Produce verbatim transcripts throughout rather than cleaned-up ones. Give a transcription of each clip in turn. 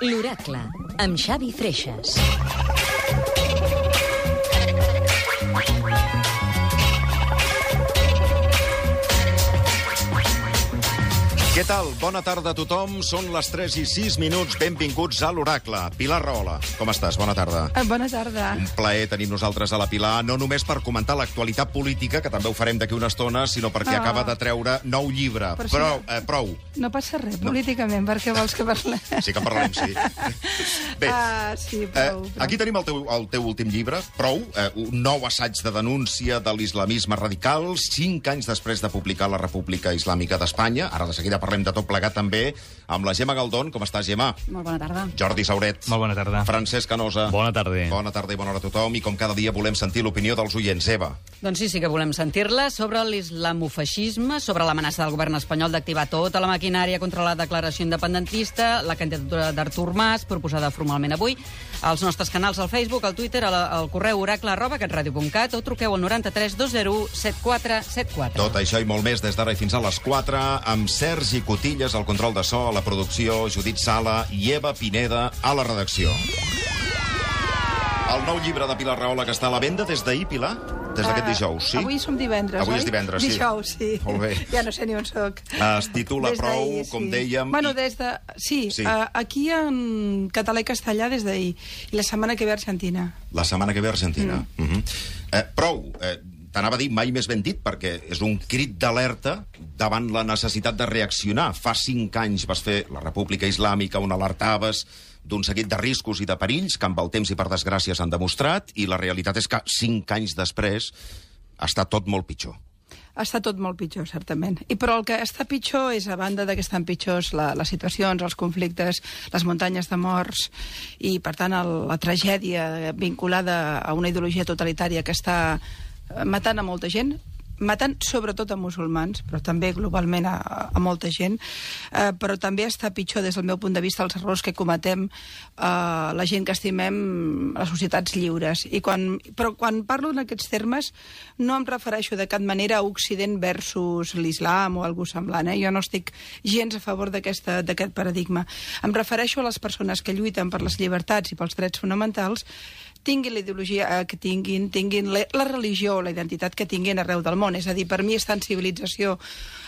L'Oracle, amb Xavi Freixas. Què tal? Bona tarda a tothom. Són les tres i sis minuts. Benvinguts a l'Oracle. Pilar Rahola, com estàs? Bona tarda. Bona tarda. Un plaer tenir nosaltres a la Pilar, no només per comentar l'actualitat política, que també ho farem d'aquí una estona, sinó perquè Oh. acaba de treure nou llibre. Però Prou, si eh, prou. No passa res, políticament, perquè vols que parlem? Sí que en parlarem, sí. Bé, Ah, sí, eh, prou, prou. aquí tenim el teu, el teu últim llibre, Prou, eh, un nou assaig de denúncia de l'islamisme radical, cinc anys després de publicar la República Islàmica d'Espanya. Ara de seguida parlem de tot plegat també amb la Gemma Galdón. Com estàs, Gemma? Molt bona tarda. Jordi Sauret. Molt bona tarda. Francesc Canosa. Bona tarda. Bona tarda i bona hora a tothom. I com cada dia volem sentir l'opinió dels oients. Eva. Doncs sí, sí que volem sentir-la sobre l'islamofeixisme, sobre l'amenaça del govern espanyol d'activar tota la maquinària contra la declaració independentista, la candidatura d'Artur Mas, proposada formalment avui, als nostres canals al Facebook, al Twitter, al, al correu oracle arroba catradio punt cat o truqueu al noranta-tres dos zero set quatre set quatre. Tot això i molt més des d'ara i fins a les quatre, amb Sergi Cotillas al control de so, a la producció, Judit Sala i Eva Pineda a la redacció. El nou llibre de Pilar Rahola que està a la venda des d'ahir, Pilar? Des d'aquest dijous, sí? Avui som divendres, Avui oi? és divendres, sí. Dijous, sí. Molt bé. Ja no sé ni on soc. Es titula Des Prou, d'ahir, com sí. dèiem... Bueno, i- des de... Sí, Sí. Uh, aquí en català i castellà des d'ahir. I la setmana que ve a Argentina. La setmana que ve a Argentina. Mm. Uh -huh. eh, prou, eh, t'anava a dir mai més ben dit, perquè és un crit d'alerta davant la necessitat de reaccionar. Fa cinc anys vas fer la República Islàmica on alertaves d'un seguit de riscos i de perills que amb el temps i per desgràcia s'han demostrat, i la realitat és que cinc anys després està tot molt pitjor. Està tot molt pitjor, certament. I però el que està pitjor és, a banda de que estan pitjors la, les situacions, els conflictes, les muntanyes de morts i, per tant, el, la tragèdia vinculada a una ideologia totalitària que està matant a molta gent, matant sobretot a musulmans, però també globalment a, a molta gent, eh, però també està pitjor des del meu punt de vista els errors que cometem eh, la gent que estimem les societats lliures. I quan, però quan parlo en aquests termes no em refereixo de cap manera a Occident versus l'islam o algú semblant, eh? Jo no estic gens a favor d'aquest paradigma. Em refereixo a les persones que lluiten per les llibertats i pels drets fonamentals, tinguin la ideologia que tinguin, tinguin la, la religió o la identitat que tinguin arreu del món. És a dir, per mi està en civilització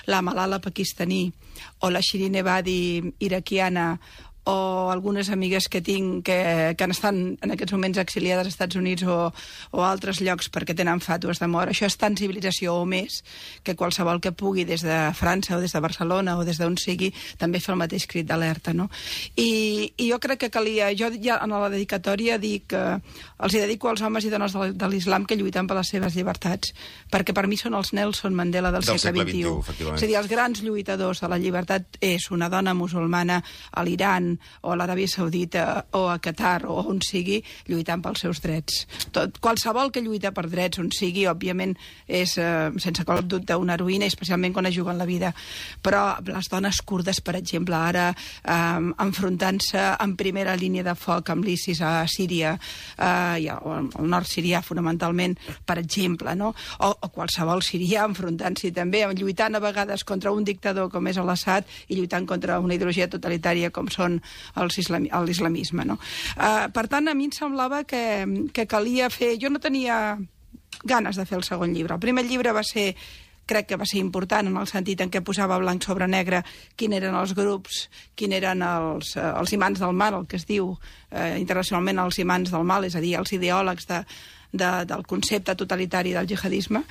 la Malala pakistaní o la Shirin Ebadi iraquiana o algunes amigues que tinc que, que estan en aquests moments exiliades als Estats Units o, o a altres llocs perquè tenen fàtues de mort. Això és tant civilització o més que qualsevol que pugui des de França o des de Barcelona o des d'on sigui també fer el mateix crit d'alerta, no? I, I jo crec que calia... Jo ja en la dedicatòria dic que els hi dedico als homes i dones de, de l'islam que lluiten per les seves llibertats, perquè per mi són els Nelson Mandela del, Del segle segle vint-i-u. efectivament. És a dir, els grans lluitadors de la llibertat és una dona musulmana a l'Iran o a l'Aràbia Saudita o a Qatar o on sigui, lluitant pels seus drets. Tot, qualsevol que lluita per drets on sigui, òbviament, és eh, sense cap dubte una heroïna, especialment quan es juguen la vida. Però les dones kurdes, per exemple, ara eh, enfrontant-se en primera línia de foc amb l'ISIS a Síria, eh, i al nord sirià, fonamentalment, per exemple, no? O, o qualsevol sirià enfrontant-s'hi també, lluitant a vegades contra un dictador com és l'Assad i lluitant contra una ideologia totalitària com són l'islamisme, no? Uh, per tant, a mi em semblava que, que calia fer... Jo no tenia ganes de fer el segon llibre. El primer llibre va ser... crec que va ser important en el sentit en què posava blanc sobre negre quin eren els grups, quin eren els, eh, els imants del mal, el que es diu eh, internacionalment els imants del mal, és a dir, els ideòlegs de, de, del concepte totalitari del jihadisme.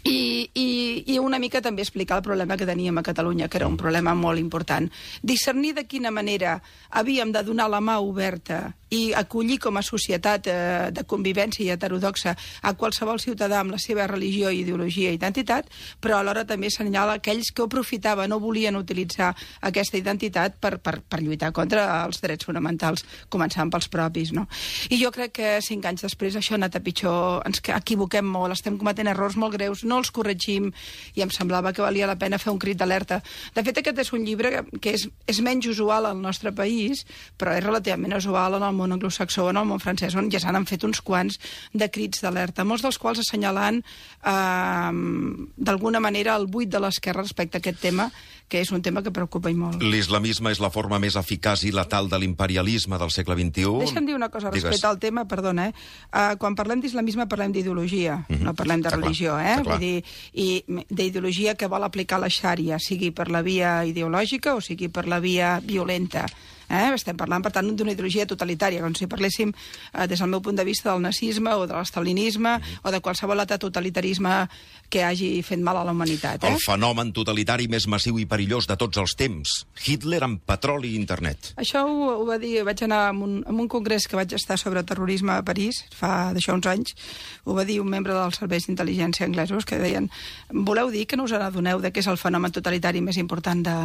I, i, i una mica també explicar el problema que teníem a Catalunya, que era un problema molt important. Discernir de quina manera havíem de donar la mà oberta i acollir com a societat eh, de convivència i heterodoxa a qualsevol ciutadà amb la seva religió, ideologia i identitat, però alhora també assenyala aquells que ho aprofitaven o volien utilitzar aquesta identitat per, per, per lluitar contra els drets fonamentals, començant pels propis, no? I jo crec que cinc anys després això ha anat a pitjor, ens equivoquem molt, estem cometent errors molt greus, no els corregim, i em semblava que valia la pena fer un crit d'alerta. De fet, aquest és un llibre que és, és menys usual al nostre país, però és relativament usual en el món anglosaxó, en el món francès, on ja s'han fet uns quants de crits d'alerta, molts dels quals assenyalant eh, d'alguna manera el buit de l'esquerra respecte a aquest tema, que és un tema que preocupa i molt. L'islamisme és la forma més eficaç i letal de l'imperialisme del segle vint-i-u. Deixa'm dir una cosa Digues. respecte al tema, perdona, eh? Uh, quan parlem d'islamisme parlem d'ideologia, mm-hmm. no parlem de Està religió, clar. eh? Està clar. Vull dir, i d'ideologia que vol aplicar la xària, sigui per la via ideològica o sigui per la via violenta. Eh? Estem parlant, per tant, d'una ideologia totalitària, com si parléssim, eh, des del meu punt de vista, del nazisme o de l'estalinisme mm. o de qualsevol altre totalitarisme que hagi fet mal a la humanitat. Eh? El fenomen totalitari més massiu i perillós de tots els temps. Hitler amb petroli i internet. Això ho, ho va dir, vaig anar a un, a un congrés que vaig estar sobre terrorisme a París, fa d'això uns anys, ho va dir un membre dels serveis d'intel·ligència anglesos, que deien, voleu dir que no us adoneu de què és el fenomen totalitari més important de,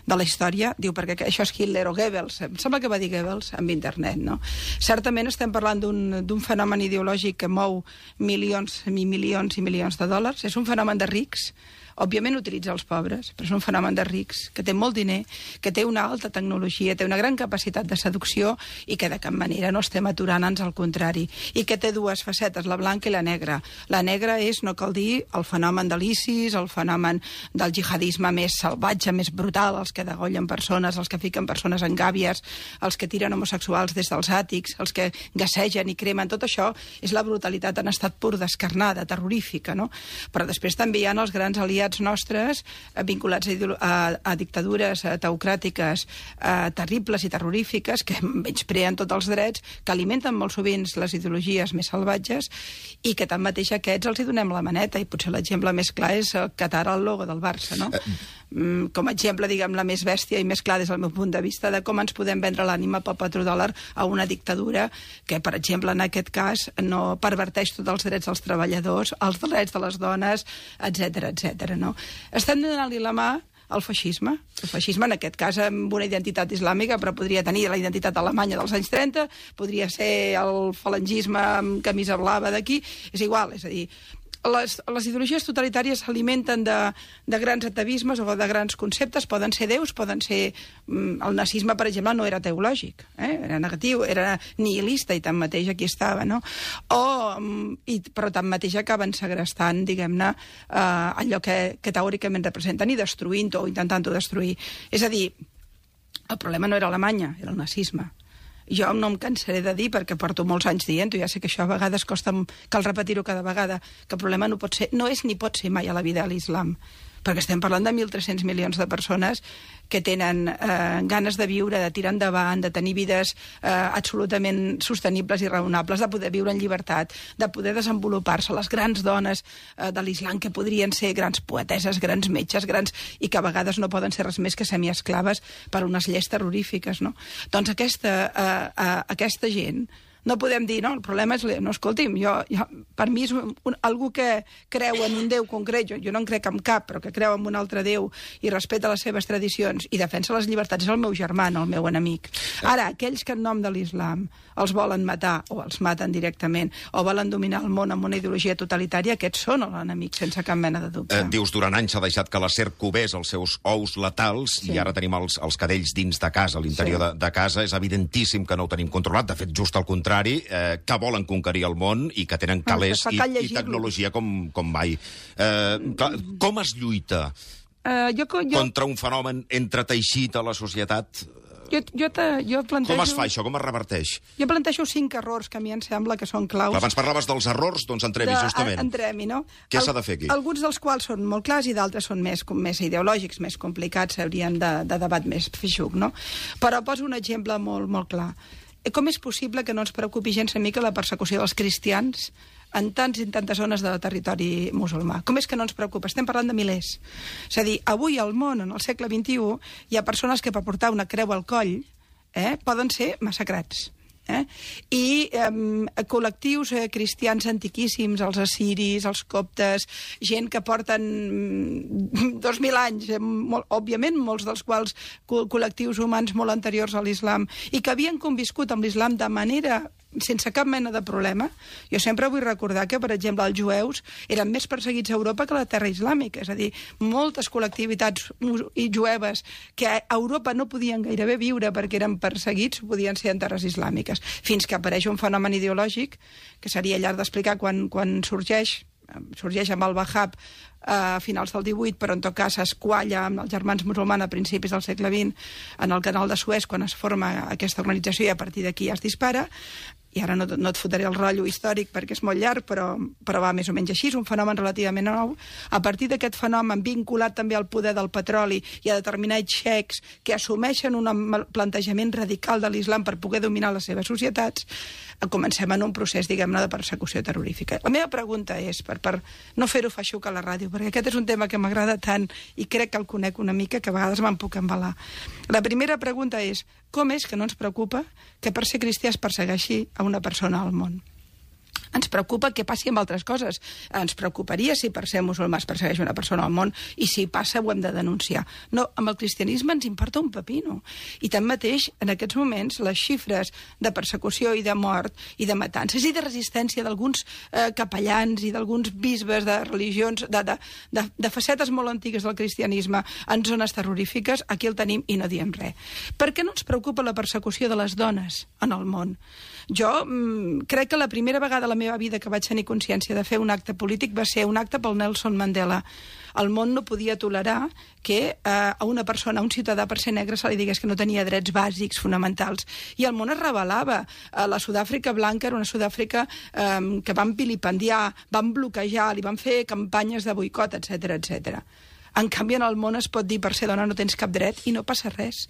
de la història? Diu, perquè això és Hitler o Goebbels. Em sembla que va dir Goebbels amb internet, no? Certament estem parlant d'un fenomen ideològic que mou milions i milions i milions de dòlars. És un fenomen de rics. Òbviament utilitza els pobres, però és un fenomen de rics, que té molt diner, que té una alta tecnologia, té una gran capacitat de seducció i que de cap manera no estem aturant, ans al contrari. I que té dues facetes, la blanca i la negra. La negra és, no cal dir, el fenomen de l'ISIS, el fenomen del jihadisme més salvatge, més brutal, els que degollen persones, els que fiquen persones en gàbies, els que tiren homosexuals des dels àtics, els que gassegen i cremen. Tot això és la brutalitat en estat pur, descarnada, terrorífica, no? Però després també hi ha els grans aliats nostres eh, vinculats a, a, a dictadures eh, teocràtiques eh, terribles i terrorífiques que menyspreen tots els drets, que alimenten molt sovint les ideologies més salvatges i que tanmateix a aquests els hi donem la maneta, i potser l'exemple més clar és el Qatar, el logo del Barça, no? Mm, com a exemple, diguem, la més bèstia i més clar des del meu punt de vista de com ens podem vendre l'ànima pel petrodòlar a una dictadura que, per exemple, en aquest cas no perverteix tots els drets dels treballadors, els drets de les dones, etcètera, etcètera. No? Estem donant-li la mà al feixisme. El feixisme, en aquest cas, amb una identitat islàmica, però podria tenir la identitat alemanya dels anys trenta, podria ser el falangisme amb camisa blava d'aquí, és igual, és a dir, les, les ideologies totalitàries s'alimenten de, de grans atavismes o de grans conceptes, poden ser déus, poden ser... El nazisme, per exemple, no era teològic, eh? Era negatiu, era nihilista, i tanmateix aquí estava, no? O, i, però tanmateix acaben segrestant, diguem-ne, eh, allò que, que teòricament representen i destruint-ho o intentant-ho destruir. És a dir, el problema no era Alemanya, era el nazisme. Jo no em cansaré de dir, perquè porto molts anys dient-ho, ja sé que això a vegades costa, cal repetir-ho cada vegada, que el problema no pot ser, no és ni pot ser mai a la vida a l'islam, perquè estem parlant de mil tres-cents milions de persones que tenen eh, ganes de viure, de tirar endavant, de tenir vides eh, absolutament sostenibles i raonables, de poder viure en llibertat, de poder desenvolupar-se, les grans dones eh, de l'islam que podrien ser grans poeteses, grans metges, grans, i que a vegades no poden ser res més que semiesclaves per unes lleis terrorífiques, no? Doncs aquesta, eh, eh, aquesta gent no podem dir, no, el problema és... No, escolti'm, jo, jo, per mi és un, un, algú que creu en un déu concret, jo, jo no en crec en cap, però que creu en un altre déu i respecta les seves tradicions i defensa les llibertats, és el meu germà, no el meu enemic. Ara, aquells que en nom de l'islam els volen matar o els maten directament o volen dominar el món amb una ideologia totalitària, aquests són l'enemic, sense cap mena de dubte. Eh, dius, durant anys s'ha deixat que la serp covés els seus ous letals, sí. I ara tenim els, els cadells dins de casa, a l'interior sí. de, de casa. És evidentíssim que no ho tenim controlat, de fet, just al contrari, Eh, que volen conquerir el món i que tenen calés i, i tecnologia com, com mai. Eh, clar, com es lluita uh, jo, jo... contra un fenomen entreteixit a la societat? Jo, jo, te, jo plantejo... Com es fa això? Com es reverteix? Jo plantejo cinc errors que a mi em sembla que són claus. Abans parlaves dels errors, doncs entrem-hi, justament. Entrem-hi, no? Què s'ha de fer aquí? Alguns dels quals són molt clars i d'altres són més, més ideològics, més complicats, haurien de, de debat més feixuc, no? Però poso un exemple molt, molt clar. Com és possible que no ens preocupi gens una mica la persecució dels cristians en tants i tantes zones del territori musulmà? Com és que no ens preocupa? Estem parlant de milers. És a dir, avui al món, en el segle vint-i-u, hi ha persones que per portar una creu al coll eh, poden ser massacrats. Eh? I eh, col·lectius eh, cristians antiquíssims, els assiris, els coptes, gent que porten dos mil anys, eh, molt, òbviament, molts dels quals co col·lectius humans molt anteriors a l'islam, i que havien conviscut amb l'islam de manera sense cap mena de problema. Jo sempre vull recordar que, per exemple, els jueus eren més perseguits a Europa que a la terra islàmica. És a dir, moltes col·lectivitats jueves que a Europa no podien gairebé viure perquè eren perseguits, podien ser en terres islàmiques. Fins que apareix un fenomen ideològic, que seria llarg d'explicar quan, quan sorgeix, sorgeix amb el Wahhab a finals del divuit, però en tot cas es qualla amb els germans musulmans a principis del segle vint en el canal de Suez quan es forma aquesta organització i a partir d'aquí ja es dispara. I ara no, no et fotré el rotllo històric perquè és molt llarg, però, però va més o menys així, és un fenomen relativament nou. A partir d'aquest fenomen vinculat també al poder del petroli i a determinats xecs que assumeixen un plantejament radical de l'islam per poder dominar les seves societats, comencem en un procés, diguem-ne, de persecució terrorífica. La meva pregunta és, per, per no fer-ho feixuc a la ràdio, perquè aquest és un tema que m'agrada tant i crec que el conec una mica, que a vegades me'n puc embalar. La primera pregunta és, com és que no ens preocupa que per ser cristià es persegueixi a una persona al món? Ens preocupa què passi amb altres coses. Ens preocuparia si per ser musulmà es persegueix una persona al món i si passa ho hem de denunciar. No, amb el cristianisme ens importa un pepino. I tanmateix, en aquests moments, les xifres de persecució i de mort i de matances i de resistència d'alguns eh, capellans i d'alguns bisbes de religions, de, de, de, de facetes molt antigues del cristianisme en zones terrorífiques, aquí el tenim i no diem res. Per què no ens preocupa la persecució de les dones en el món? Jo mm, crec que la primera vegada a la meva vida que vaig tenir consciència de fer un acte polític va ser un acte pel Nelson Mandela. El món no podia tolerar que eh, a una persona, a un ciutadà per ser negre, se li digués que no tenia drets bàsics, fonamentals. I el món es rebel·lava. Eh, la Sud-àfrica blanca era una Sud-àfrica eh, que van vilipendiar, van bloquejar, li van fer campanyes de boicot, etcètera, etcètera. En canvi, en el món es pot dir per ser dona no tens cap dret i no passa res.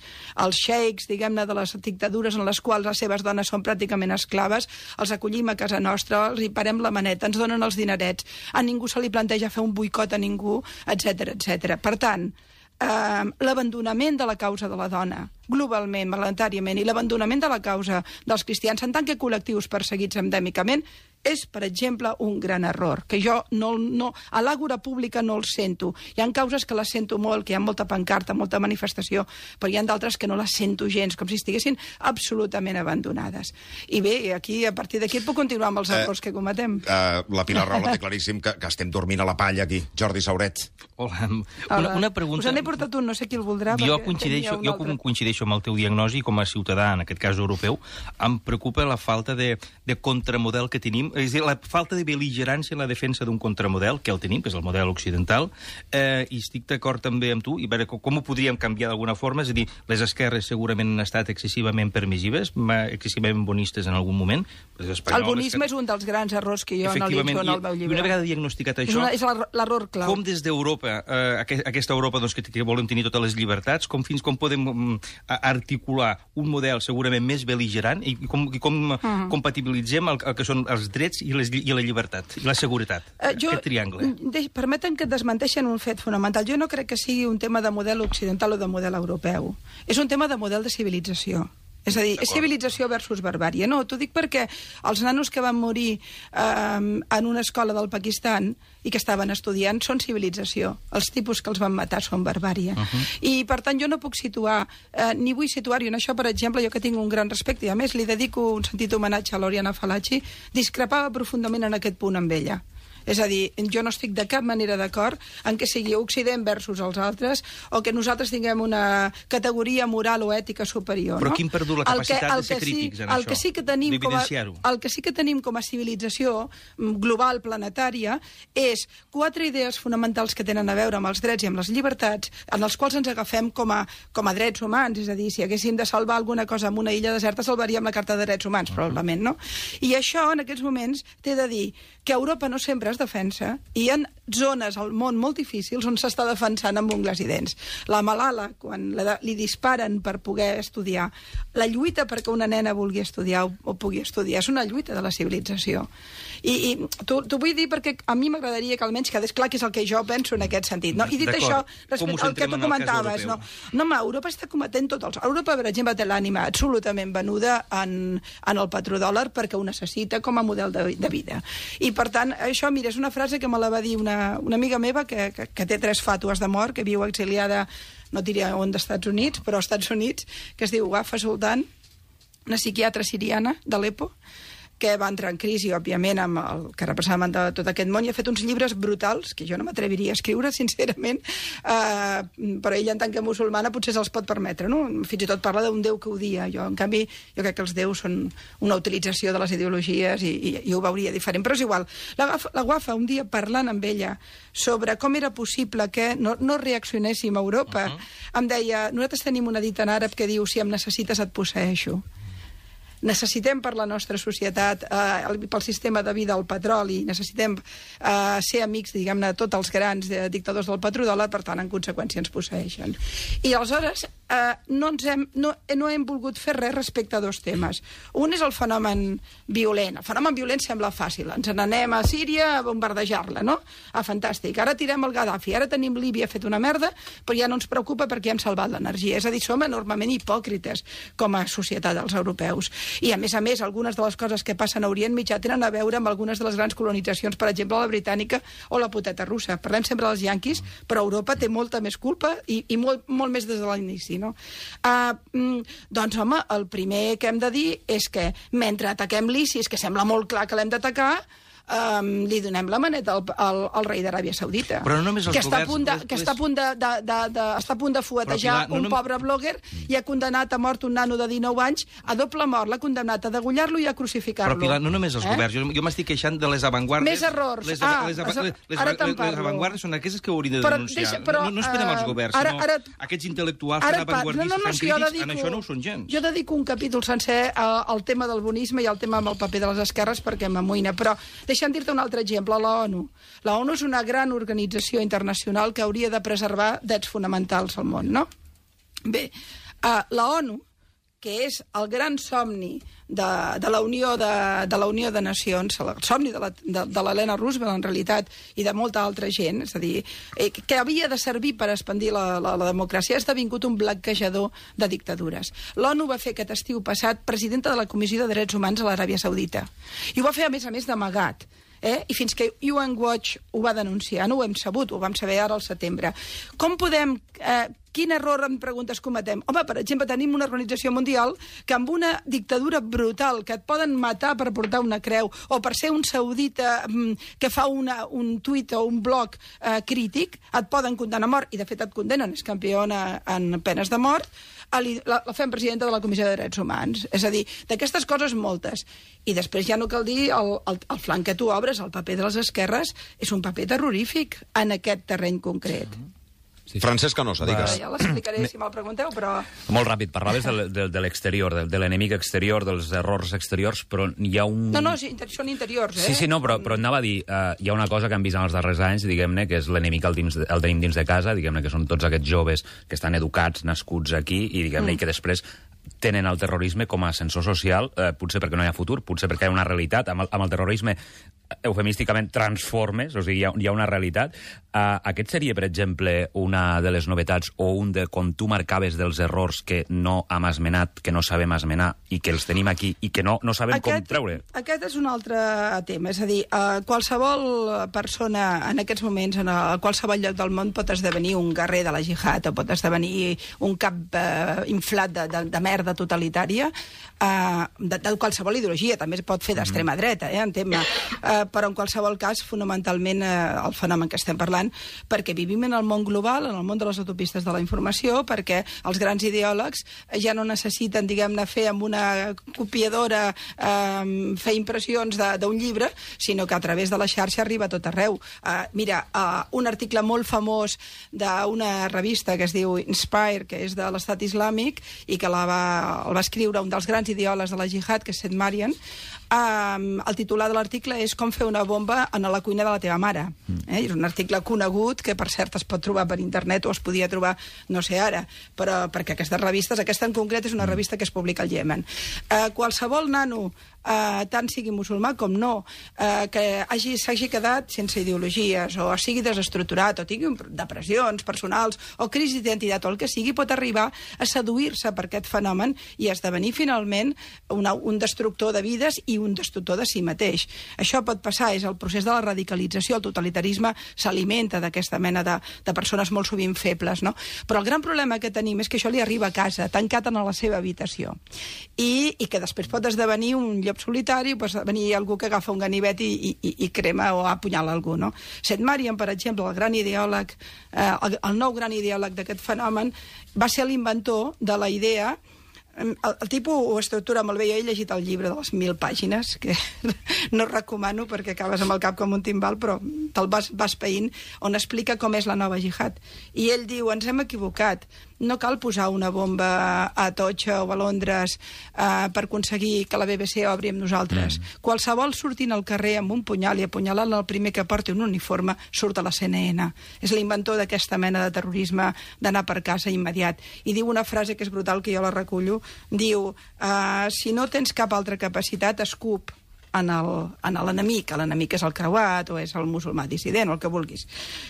Els xeics, diguem-ne, de les dictadures en les quals les seves dones són pràcticament esclaves, els acollim a casa nostra, els hi parem la maneta, ens donen els dinerets, a ningú se li planteja fer un boicot a ningú, etcètera, etcètera. Per tant, eh, l'abandonament de la causa de la dona, globalment, majoritàriament, i l'abandonament de la causa dels cristians en tant que col·lectius perseguits endèmicament, és, per exemple, un gran error, que jo no, no, a l'àgora pública no el sento. Hi ha causes que les sento molt, que hi ha molta pancarta, molta manifestació, però hi ha d'altres que no les sento gens, com si estiguessin absolutament abandonades. I bé, aquí, a partir d'aquí, puc continuar amb els errors eh, que cometem. Eh, la Pilar Rahola té claríssim que, que estem dormint a la palla aquí. Jordi Sauret. Hola. Una, una pregunta... Us n'he portat un, no sé qui el voldrà. Jo coincideixo, jo coincideixo amb el teu diagnosi com a ciutadà, en aquest cas europeu. Em preocupa la falta de, de contramodel que tenim, és a dir, la falta de bel·ligerància en la defensa d'un contramodel, que el tenim, que és el model occidental, eh, i estic d'acord també amb tu, i veure com ho podríem canviar d'alguna forma, és a dir, les esquerres segurament han estat excessivament permissives, excessivament bonistes en algun moment. El bonisme que... és un dels grans errors que jo analitzo en el meu llibre. I una vegada diagnosticat això... És, una, és l'error clau. Com des d'Europa, eh, aquesta Europa doncs, que, que volem tenir totes les llibertats, com fins com podem um, articular un model segurament més bel·ligerant i com, i com uh -huh. compatibilitzem el, el que són els drets i, les, i la llibertat, i la seguretat, uh, jo, aquest triangle. Permeten que desmenteixen un fet fonamental. Jo no crec que sigui un tema de model occidental o de model europeu. És un tema de model de civilització. És a dir, és civilització versus barbària. No, t'ho dic perquè els nanos que van morir eh, en una escola del Pakistan i que estaven estudiant són civilització. Els tipus que els van matar són barbària. Uh -huh. I, per tant, jo no puc situar, eh, ni vull situar-hi en això, per exemple, jo que tinc un gran respecte, i a més li dedico un sentit homenatge a l'Oriana Fallaci, discrepava profundament en aquest punt amb ella. És a dir, jo no estic de cap manera d'acord en que sigui Occident versus els altres o que nosaltres tinguem una categoria moral o ètica superior. Però no? qui hem perdut la capacitat que, de ser crítics sí, en el això? Que sí que tenim com a, el que sí que tenim com a civilització global, planetària, és quatre idees fonamentals que tenen a veure amb els drets i amb les llibertats, en els quals ens agafem com a, com a drets humans. És a dir, si haguéssim de salvar alguna cosa en una illa deserta, salvaríem la Carta de Drets Humans, uh -huh. probablement, no? I això, en aquests moments, t'he de dir que Europa no sempre es defensa i hi ha zones al món molt difícils on s'està defensant amb ungles i dents. La Malala, quan la, li disparen per poder estudiar, la lluita perquè una nena vulgui estudiar o, o pugui estudiar és una lluita de la civilització. I, i t'ho vull dir perquè a mi m'agradaria que almenys quedés clar que és el que jo penso en aquest sentit. No? I dit això, respecte al que tu comentaves, no, no, home, Europa està cometent tots els... Europa, per exemple, té l'ànima absolutament venuda en, en el petrodòlar perquè ho necessita com a model de, de vida. I, per tant, això, mira, és una frase que me la va dir una, una amiga meva que, que, que té tres fàtues de mort, que viu exiliada, no diria on, dels Estats Units, però als Estats Units, que es diu Wafa Sultan, una psiquiatra siriana d'Alepo, que va entrar en crisi, òbviament, amb el que representaven de tot aquest món, i ha fet uns llibres brutals, que jo no m'atreviria a escriure, sincerament, eh, però ella, en tant que musulmana, potser se'ls pot permetre, no? Fins i tot parla d'un déu que odia. Jo, en canvi, jo crec que els déus són una utilització de les ideologies i, i, i ho veuria diferent. Però és igual. La, la Wafa, un dia parlant amb ella sobre com era possible que no, no reaccionéssim a Europa, uh -huh. em deia, nosaltres tenim una dita en àrab que diu, si em necessites et posseeixo. Necessitem per la nostra societat, eh, pel sistema de vida, el petroli, necessitem eh, ser amics, diguem-ne, de tots els grans eh, dictadors del petrodòlar, per tant, en conseqüència, ens posseeixen. I aleshores eh, no, ens hem, no, no hem volgut fer res respecte a dos temes. Un és el fenomen violent. El fenomen violent sembla fàcil. Ens n'anem a Síria a bombardejar-la, no? Ah, fantàstic. Ara tirem el Gaddafi, ara tenim Líbia fet una merda, però ja no ens preocupa perquè hem salvat l'energia. És a dir, som enormement hipòcrites com a societat dels europeus. I, a més a més, algunes de les coses que passen a Orient Mitjà tenen a veure amb algunes de les grans colonitzacions, per exemple, la britànica o la poteta russa. Parlem sempre dels yanquis, però Europa té molta més culpa i, i molt, molt més des de l'inici, no? Uh, doncs, home, el primer que hem de dir és que mentre ataquem l'ISIS, que sembla molt clar que l'hem d'atacar, Um, li donem la maneta al, al, al rei d'Aràbia Saudita, però no només els que, està governs, a punt de, les, que està a punt de, de, de, de, està a punt de fuetejar Pilar, no, un no... pobre blogger i ha condemnat a mort un nano de dinou anys, a doble mort, l'ha condemnat a degullar-lo i a crucificar-lo. Però, Pilar, no només els eh? governs, jo, jo m'estic queixant de les avantguardes. Més errors. Les, ah, les, les, les, les, les, les, les avantguardes són aquestes que haurien de però, denunciar. Deixa, però, no, no esperem als governs, ara, sinó ara, aquests intel·lectuals tan avantguardistes, no, no, no, tan si crítics, dedico, en això no ho són gens. Jo dedico un capítol sencer al tema del bonisme i al tema amb el paper de les esquerres perquè m'amoïna, però deixa'm dir-te un altre exemple, la ONU. La ONU és una gran organització internacional que hauria de preservar drets fonamentals al món, no? Bé, uh, la ONU, que és el gran somni de, de, la Unió de, de la Unió de Nacions, el somni de l'Helena Roosevelt, en realitat, i de molta altra gent, és a dir, eh, que havia de servir per expandir la, la, la democràcia, ha esdevingut un blanquejador de dictadures. L'ONU va fer aquest estiu passat presidenta de la Comissió de Drets Humans a l'Aràbia Saudita. I ho va fer, a més a més, d'amagat. Eh? I fins que U N Watch ho va denunciar, no ho hem sabut, ho vam saber ara al setembre. Com podem... Eh, quin error, em preguntes, cometem? Home, per exemple, tenim una organització mundial que amb una dictadura brutal, que et poden matar per portar una creu, o per ser un saudita mm, que fa una, un tuit o un blog eh, crític, et poden condemnar a mort, i de fet et condemnen, és campiona en penes de mort, la, la fem presidenta de la Comissió de Drets Humans. És a dir, d'aquestes coses moltes. I després ja no cal dir el, el, el flanc que tu obres, el paper de les esquerres, és un paper terrorífic en aquest terreny concret. Mm-hmm. Sí. Francesc Canosa, digues. Ja l'explicaré si me'l pregunteu, però... Molt ràpid, parlaves de, de, de l'exterior, de, de l'enemic exterior, dels errors exteriors, però hi ha un... No, no, sí, són interiors, eh? Sí, sí, no, però, però anava a dir, uh, hi ha una cosa que hem vist en els darrers anys, diguem-ne, que és l'enemic el, dins, el tenim dins de casa, diguem-ne, que són tots aquests joves que estan educats, nascuts aquí, i diguem-ne, mm. i que després tenen el terrorisme com a ascensor social, eh, potser perquè no hi ha futur, potser perquè hi ha una realitat. Amb el, amb el terrorisme, eufemísticament, transformes, o sigui, hi ha, hi ha una realitat. Uh, aquest seria, per exemple, una de les novetats o un de, com tu marcaves, dels errors que no hem esmenat, que no sabem esmenar, i que els tenim aquí, i que no, no sabem aquest, com treure. Aquest és un altre tema. És a dir, uh, qualsevol persona en aquests moments, en a qualsevol lloc del món, pot esdevenir un guerrer de la jihad, o pot esdevenir un cap uh, inflat de, de, de merda totalitària, uh, de, de qualsevol ideologia, també es pot fer d'extrema dreta, eh, en tema, uh, però en qualsevol cas, fonamentalment, uh, el fenomen que estem parlant, perquè vivim en el món global, en el món de les autopistes de la informació, perquè els grans ideòlegs ja no necessiten, diguem-ne, fer amb una copiadora, uh, fer impressions d'un llibre, sinó que a través de la xarxa arriba a tot arreu. Uh, mira, uh, un article molt famós d'una revista que es diu Inspire, que és de l'Estat Islàmic, i que la va, el va escriure un dels grans ideòlegs de la jihad, que és Seth Marian. Um, el titular de l'article és Com fer una bomba en la cuina de la teva mare. Mm. Eh? És un article conegut que, per cert, es pot trobar per internet o es podia trobar, no sé ara, però perquè aquestes revistes, aquesta en concret és una revista que es publica al Iemen. Uh, qualsevol nano, uh, tant sigui musulmà com no, uh, que hagi, s'hagi quedat sense ideologies o sigui desestructurat o tingui depressions personals o crisi d'identitat o el que sigui, pot arribar a seduir-se per aquest fenomen i esdevenir finalment una, un destructor de vides i un destructor de si mateix. Això pot passar, és el procés de la radicalització, el totalitarisme s'alimenta d'aquesta mena de, de persones molt sovint febles, no? Però el gran problema que tenim és que això li arriba a casa, tancat en la seva habitació, i, i que després pot esdevenir un llop solitari, pot venir algú que agafa un ganivet i, i, i crema o apunyala algú, no? Seth Marian, per exemple, el gran ideòleg, eh, el, el nou gran ideòleg d'aquest fenomen, va ser l'inventor de la idea. El, el tipus ho estructura molt bé. Jo he llegit el llibre de les mil pàgines, que no recomano perquè acabes amb el cap com un timbal, però te'l vas, vas païnt, on explica com és la nova jihad. I ell diu, ens hem equivocat, no cal posar una bomba a Atocha o a Londres eh, per aconseguir que la B B C obri amb nosaltres. Mm. Qualsevol sortint al carrer amb un punyal i apunyalant el primer que porti un uniforme surt a la C N N. És l'inventor d'aquesta mena de terrorisme d'anar per casa immediat. I diu una frase que és brutal, que jo la recullo, diu, eh, si no tens cap altra capacitat, escup en l'enemic. L'enemic és el creuat o és el musulmà dissident, o el que vulguis.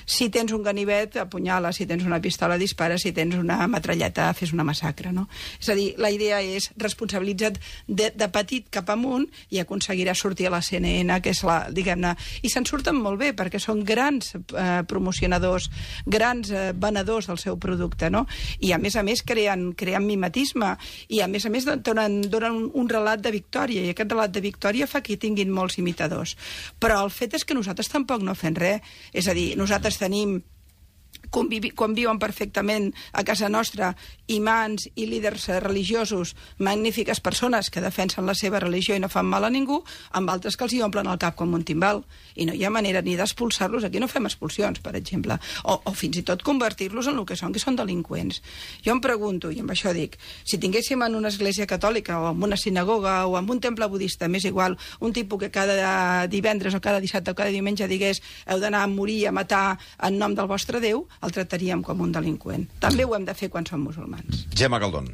Si tens un ganivet, apunyala. Si tens una pistola, dispara. Si tens una metralleta, fes una massacre, no? És a dir, la idea és responsabilitza't de, de petit cap amunt i aconseguiràs sortir a la C N N, que és la, diguem-ne... I se'n surten molt bé, perquè són grans eh, promocionadors, grans eh, venedors del seu producte, no? I, a més a més, creen, creen mimetisme. I, a més a més, donen, donen un, un relat de victòria. I aquest relat de victòria fa que hi tinguin molts imitadors. Però el fet és que nosaltres tampoc no fem res. És a dir, nosaltres tenim convivi, conviuen perfectament a casa nostra imams i líders religiosos, magnífiques persones que defensen la seva religió i no fan mal a ningú, amb altres que els hi omplen el cap com un timbal. I no hi ha manera ni d'expulsar-los. Aquí no fem expulsions, per exemple. O, o fins i tot convertir-los en el que són, que són delinqüents. Jo em pregunto, i amb això dic, si tinguéssim en una església catòlica o en una sinagoga o en un temple budista, més igual, un tipus que cada divendres o cada dissabte o cada diumenge digués heu d'anar a morir, a matar en nom del vostre Déu, el tractaríem com un delinqüent. També ho hem de fer quan som musulmans. Gemma Galdón.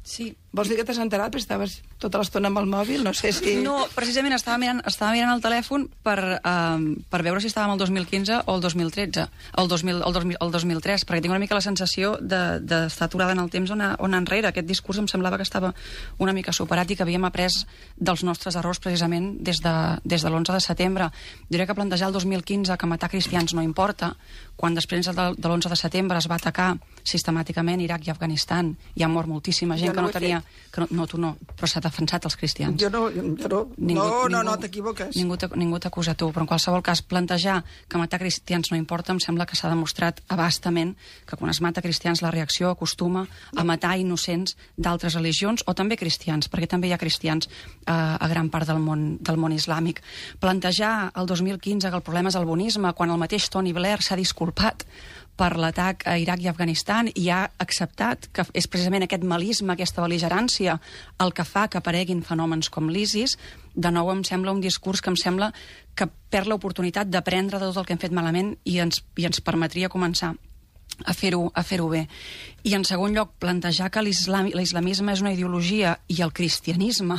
Sí. Vols dir que t'has enterat perquè estaves tota l'estona amb el mòbil? No sé si... No, precisament estava mirant, estava mirant el telèfon per, uh, per veure si estàvem el dos mil quinze o el dos mil tretze, el dos mil, el dos mil, el dos mil tres, perquè tinc una mica la sensació d'estar de, de aturada en el temps on, on enrere. Aquest discurs em semblava que estava una mica superat i que havíem après dels nostres errors precisament des de, des de l'onze de setembre. Diria que plantejar el dos mil quinze que matar cristians no importa, quan després de, de l'onze de setembre es va atacar sistemàticament Iraq i Afganistan, hi ha mort moltíssima gent no que no tenia... Que no, no, tu no, però s'ha defensat els cristians. Jo no, jo no, ningú, no, no, ningú, no t'equivoques. Ningú t'acusa tu, però en qualsevol cas plantejar que matar cristians no importa, em sembla que s'ha demostrat abastament que quan es mata cristians la reacció acostuma a matar innocents d'altres religions o també cristians, perquè també hi ha cristians eh, a gran part del món, del món islàmic. Plantejar el dos mil quinze que el problema és el bonisme, quan el mateix Tony Blair s'ha disculpat per l'atac a Iraq i Afganistan i ha acceptat que és precisament aquest malisme, aquesta bel·ligerància, el que fa que apareguin fenòmens com l'ISIS. De nou em sembla un discurs que em sembla que perd l'oportunitat d'aprendre de tot el que hem fet malament i ens, i ens permetria començar a fer-ho a fer-ho bé. I en segon lloc, plantejar que l'islamisme és una ideologia i el cristianisme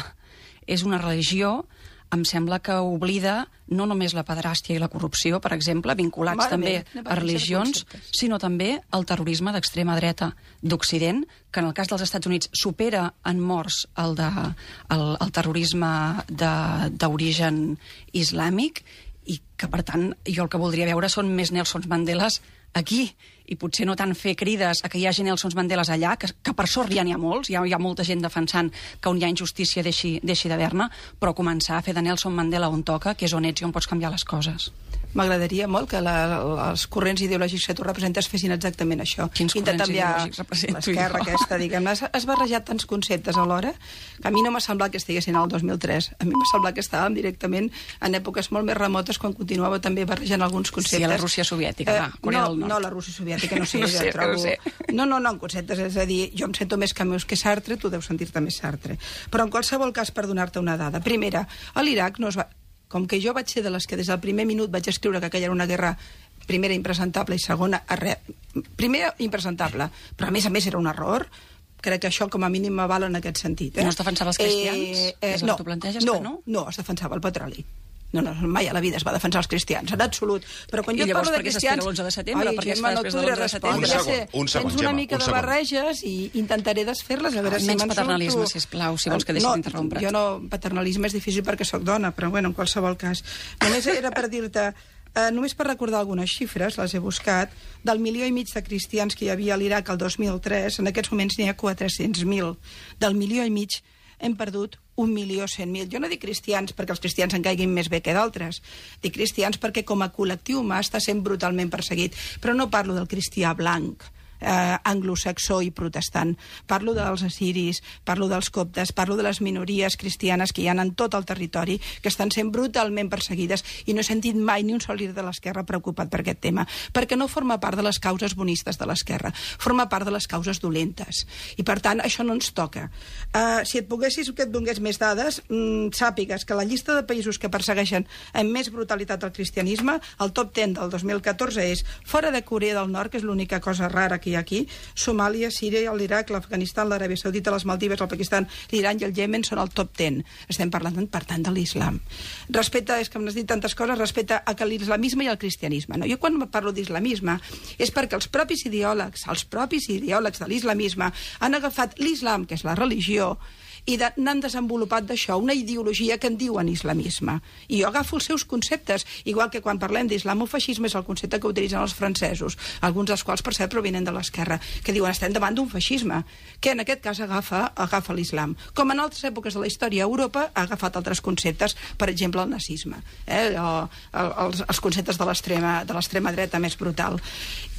és una religió, em sembla que oblida no només la pederàstia i la corrupció, per exemple, vinculats Mare també meva, a religions, sinó també el terrorisme d'extrema dreta d'Occident, que en el cas dels Estats Units supera en morts el, de, el, el terrorisme d'origen islàmic, i que, per tant, jo el que voldria veure són més Nelson Mandeles aquí, i potser no tant fer crides a que hi hagi Nelson Mandeles allà, que, que per sort ja n'hi ha molts, hi ha, hi ha molta gent defensant que on hi ha injustícia deixi, deixi d'haver-ne, però començar a fer de Nelson Mandela on toca, que és on ets i on pots canviar les coses. M'agradaria molt que la, els corrents ideològics que tu representes fessin exactament això. Quins corrents ideològics represento l'esquerra jo? aquesta, diguem-ne. Has, has barrejat tants conceptes alhora que a mi no m'ha semblat que estiguessin al dos mil tres. A mi m'ha semblat que estàvem directament en èpoques molt més remotes quan continuava també barrejant alguns conceptes. Sí, a la Rússia soviètica, va, Corea no, del Nord. No, la Rússia soviètica, no sé, no jo sé, trobo... no sé. No, no, no, en conceptes, és a dir, jo em sento més Camus que Sartre, tu deus sentir-te més Sartre. Però en qualsevol cas, per donar-te una dada. Primera, a l'Iraq no es va... Com que jo vaig ser de les que des del primer minut vaig escriure que aquella era una guerra, primera, impresentable, i segona, arre... primera, impresentable, però a més a més era un error, crec que això com a mínim m'avala en aquest sentit. Eh? No es defensava els cristians? Eh, eh, és el no, que tu planteges, no, que no? No, es defensava el petroli. No, no, mai a la vida es va defensar els cristians, en absolut. Però quan I jo llavors parlo de per què cristians... s'espera l'onze de setembre? Ai, Per què es Gemma, fa no després et de podré l'onze de respondre. setembre? Un segon, Ja sé, un segon, tens una Gemma, mica un de segon. barreges i intentaré desfer-les, a veure si Menys me'n surto. paternalisme, sisplau, si vols que deixi no, d'interrompre't. Jo no, paternalisme és difícil perquè sóc dona, però bueno, en qualsevol cas. Només era per dir-te... Uh, només per recordar algunes xifres, les he buscat, del milió i mig de cristians que hi havia a l'Iraq el dos mil tres, en aquests moments n'hi ha quatre-cents mil. Del milió i mig hem perdut un milió cent mil. Jo no dic cristians perquè els cristians en caiguin més bé que d'altres. Dic cristians perquè com a col·lectiu humà està sent brutalment perseguit. Però no parlo del cristià blanc, eh, anglosaxó i protestant. Parlo dels assiris, parlo dels coptes, parlo de les minories cristianes que hi ha en tot el territori, que estan sent brutalment perseguides, i no he sentit mai ni un sol líder de l'esquerra preocupat per aquest tema, perquè no forma part de les causes bonistes de l'esquerra, forma part de les causes dolentes. I, per tant, això no ens toca. Uh, si et poguessis que et donés més dades, mm, sàpigues que la llista de països que persegueixen amb més brutalitat el cristianisme, el top deu del dos mil catorze és, fora de Corea del Nord, que és l'única cosa rara que hi ha aquí, Somàlia, Síria, l'Iraq, l'Afganistan, l'Aràbia Saudita, les Maldives, el Pakistan, l'Iran i el Iemen són el top deu. Estem parlant, per tant, de l'islam. Respecte, és que m'has dit tantes coses, respecte a que l'islamisme i el cristianisme. No? Jo quan parlo d'islamisme és perquè els propis ideòlegs, els propis ideòlegs de l'islamisme han agafat l'islam, que és la religió, i de, n'han desenvolupat d'això una ideologia que en diuen islamisme. I jo agafo els seus conceptes, igual que quan parlem d'islamofeixisme és el concepte que utilitzen els francesos, alguns dels quals, per cert, provenen de l'esquerra, que diuen estem davant d'un feixisme, que en aquest cas agafa, agafa l'islam. Com en altres èpoques de la història, Europa ha agafat altres conceptes, per exemple, el nazisme, eh? o, els, els conceptes de l'extrema de l'extrema dreta més brutal.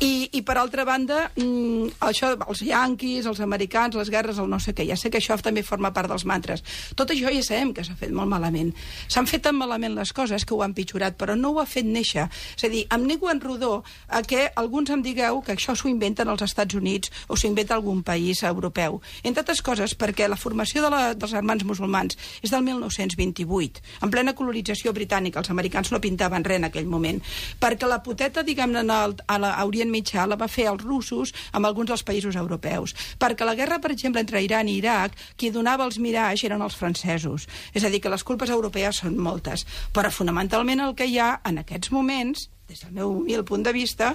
I, i per altra banda, mmm, això, els yanquis, els americans, les guerres, el no sé què, ja sé que això també forma part dels mantres. Tot això ja sabem que s'ha fet molt malament. S'han fet tan malament les coses que ho han pitjorat, però no ho ha fet néixer. És a dir, em nego en rodó a que alguns em digueu que això s'ho inventen als Estats Units o s'ho inventa algun país europeu. Entre altres coses perquè la formació de la, dels germans musulmans és del mil nou-cents vint-i-vuit, en plena colonització britànica. Els americans no pintaven res en aquell moment. Perquè la poteta, diguem-ne, a l'Orient Mitjà la va fer els russos amb alguns dels països europeus. Perquè la guerra, per exemple, entre Iran i Iraq, qui donava els Mirage eren els francesos. És a dir, que les culpes europees són moltes. Però fonamentalment el que hi ha en aquests moments, des del meu humil punt de vista,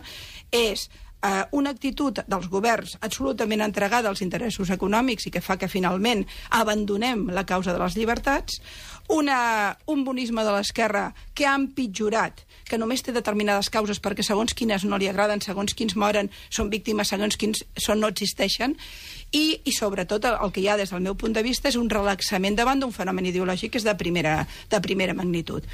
és eh, una actitud dels governs absolutament entregada als interessos econòmics i que fa que finalment abandonem la causa de les llibertats, una, un bonisme de l'esquerra que ha empitjorat, que només té determinades causes perquè segons quines no li agraden, segons quins moren, són víctimes, segons quins són, no existeixen, i, i sobretot el, el que hi ha des del meu punt de vista és un relaxament davant d'un fenomen ideològic que és de primera, de primera magnitud.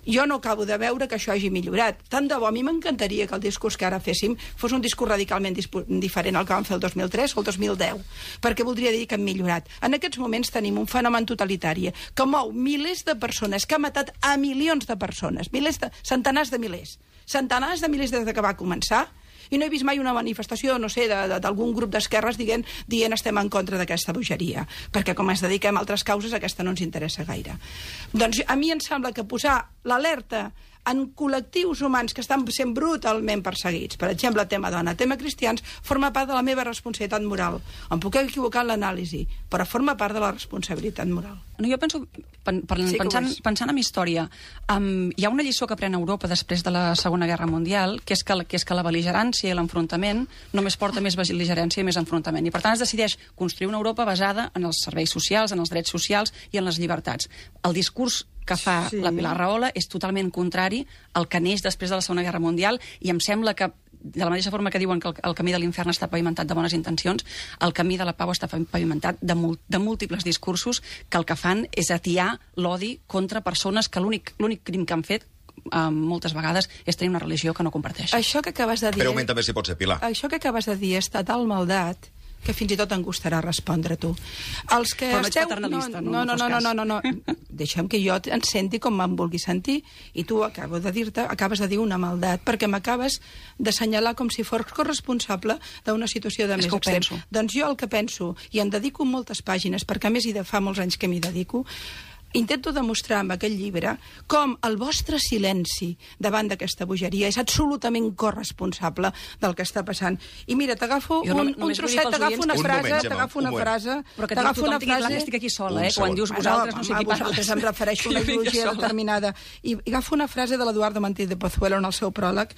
Jo no acabo de veure que això hagi millorat. Tant de bo, a mi m'encantaria que el discurs que ara féssim fos un discurs radicalment diferent al que vam fer el dos mil tres o el dos mil deu, perquè voldria dir que hem millorat. En aquests moments tenim un fenomen totalitari que mou milers de persones, que ha matat a milions de persones, milers de, centenars de milers, centenars de milers des que va començar, i no he vist mai una manifestació, no sé, d'algun grup d'esquerres dient, dient estem en contra d'aquesta bogeria, perquè com ens dediquem a altres causes, aquesta no ens interessa gaire. Doncs a mi em sembla que posar l'alerta en col·lectius humans que estan sent brutalment perseguits, per exemple, tema dona, tema cristians, forma part de la meva responsabilitat moral. Em puc equivocar en l'anàlisi, però forma part de la responsabilitat moral. No, jo penso, pen, pen, sí pensant, pensant en història, um, hi ha una lliçó que pren Europa després de la Segona Guerra Mundial, que és que, que, és que la bel·ligerància i l'enfrontament només porta més bel·ligerància i més enfrontament. I per tant es decideix construir una Europa basada en els serveis socials, en els drets socials i en les llibertats. El discurs que fa sí. la Pilar Rahola és totalment contrari al que neix després de la Segona Guerra Mundial, i em sembla que, de la mateixa forma que diuen que el, el camí de l'infern està pavimentat de bones intencions, el camí de la pau està pavimentat de, mul, de múltiples discursos que el que fan és atiar l'odi contra persones que l'únic l'únic crim que han fet Um, moltes vegades és tenir una religió que no comparteix. Això que acabes de dir... Però augmenta més si pot ser, Pilar. Això que acabes de dir és tal maldat que fins i tot em gustarà respondre tu. Els que Però no ets esteu... paternalista, no? No, no, no, no, no, no, no, no. no. Deixa'm que jo em senti com em vulgui sentir, i tu acabo de dir-te, acabes de dir una maldat, perquè m'acabes d'assenyalar com si fos corresponsable d'una situació de és més extrem. Doncs jo el que penso, i em dedico moltes pàgines, perquè a més hi de fa molts anys que m'hi dedico, intento demostrar amb aquest llibre com el vostre silenci davant d'aquesta bogeria és absolutament corresponsable del que està passant. I mira, t'agafo Jo no- un, un només vull dir trosset, pels t'agafo una oients- Un frase, moment, Gemma, t'agafo un una moment. frase... Però que t'agafo tothom una tingui clar frase- que estic aquí sola, Un eh? Quan segon. dius Ah, vosaltres, no sé home, qui parla. vosaltres em refereixo a una Que jo vinc ideologia sola. determinada. I agafo una frase de l'Eduardo Martí de Pozuelo en el seu pròleg,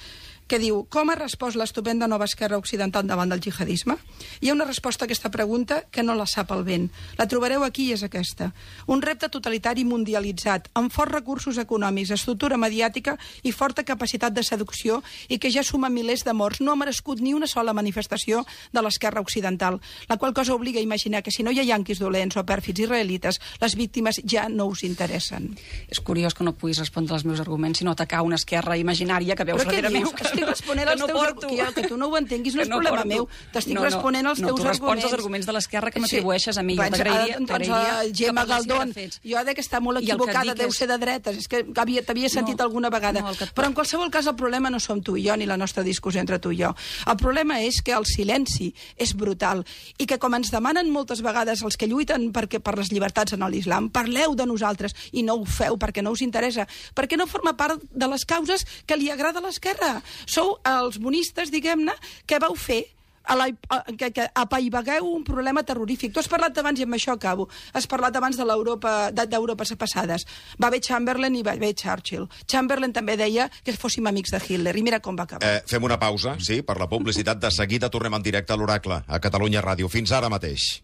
que diu: com ha respost l'estupenda nova esquerra occidental davant del jihadisme? Hi ha una resposta a aquesta pregunta que no la sap el vent. La trobareu aquí i és aquesta. Un repte totalitari mundialitzat, amb forts recursos econòmics, estructura mediàtica i forta capacitat de seducció, i que ja suma milers de morts, no ha merescut ni una sola manifestació de l'esquerra occidental, la qual cosa obliga a imaginar que si no hi ha yanquis dolents o pèrfids israelites, les víctimes ja no us interessen. És curiós que no puguis respondre als meus arguments, sinó atacar una esquerra imaginària que veus Però què darrere meu. dius? Que estic responent que als no teus porto. arguments. Que, que tu no ho entenguis no Que és problema porto. meu. T'estic No, no, responent als no, teus tu respons arguments. als arguments de l'esquerra que m'atribueixes a mi. Jo Doncs, t'agrairia- doncs, t'agrairia eh, Gemma que parléssim de Galdón, fets. jo de que està molt I el que equivocada, dic deu és- ser de dretes, és que havia- t'havia sentit No, alguna vegada. no, el que et- Però en qualsevol cas el problema no som tu i jo, ni la nostra discussió entre tu i jo. El problema és que el silenci és brutal i que, com ens demanen moltes vegades els que lluiten perquè, per les llibertats en l'islam, parleu de nosaltres i no ho feu perquè no us interessa, perquè no forma part de les causes que li agrada a l'esquerra. Sou els bonistes, diguem-ne, que vau fer a la, a, que, que apaivagueu un problema terrorífic. Tu has parlat abans, i amb això acabo, has parlat abans de l'Europa de- d'Europes passades. Va haver Chamberlain i va haver Churchill. Chamberlain també deia que fóssim amics de Hitler, i mira com va acabar. Eh, fem una pausa, sí, per la publicitat. De seguida tornem en directe a l'Oracle, a Catalunya Ràdio. Fins ara mateix.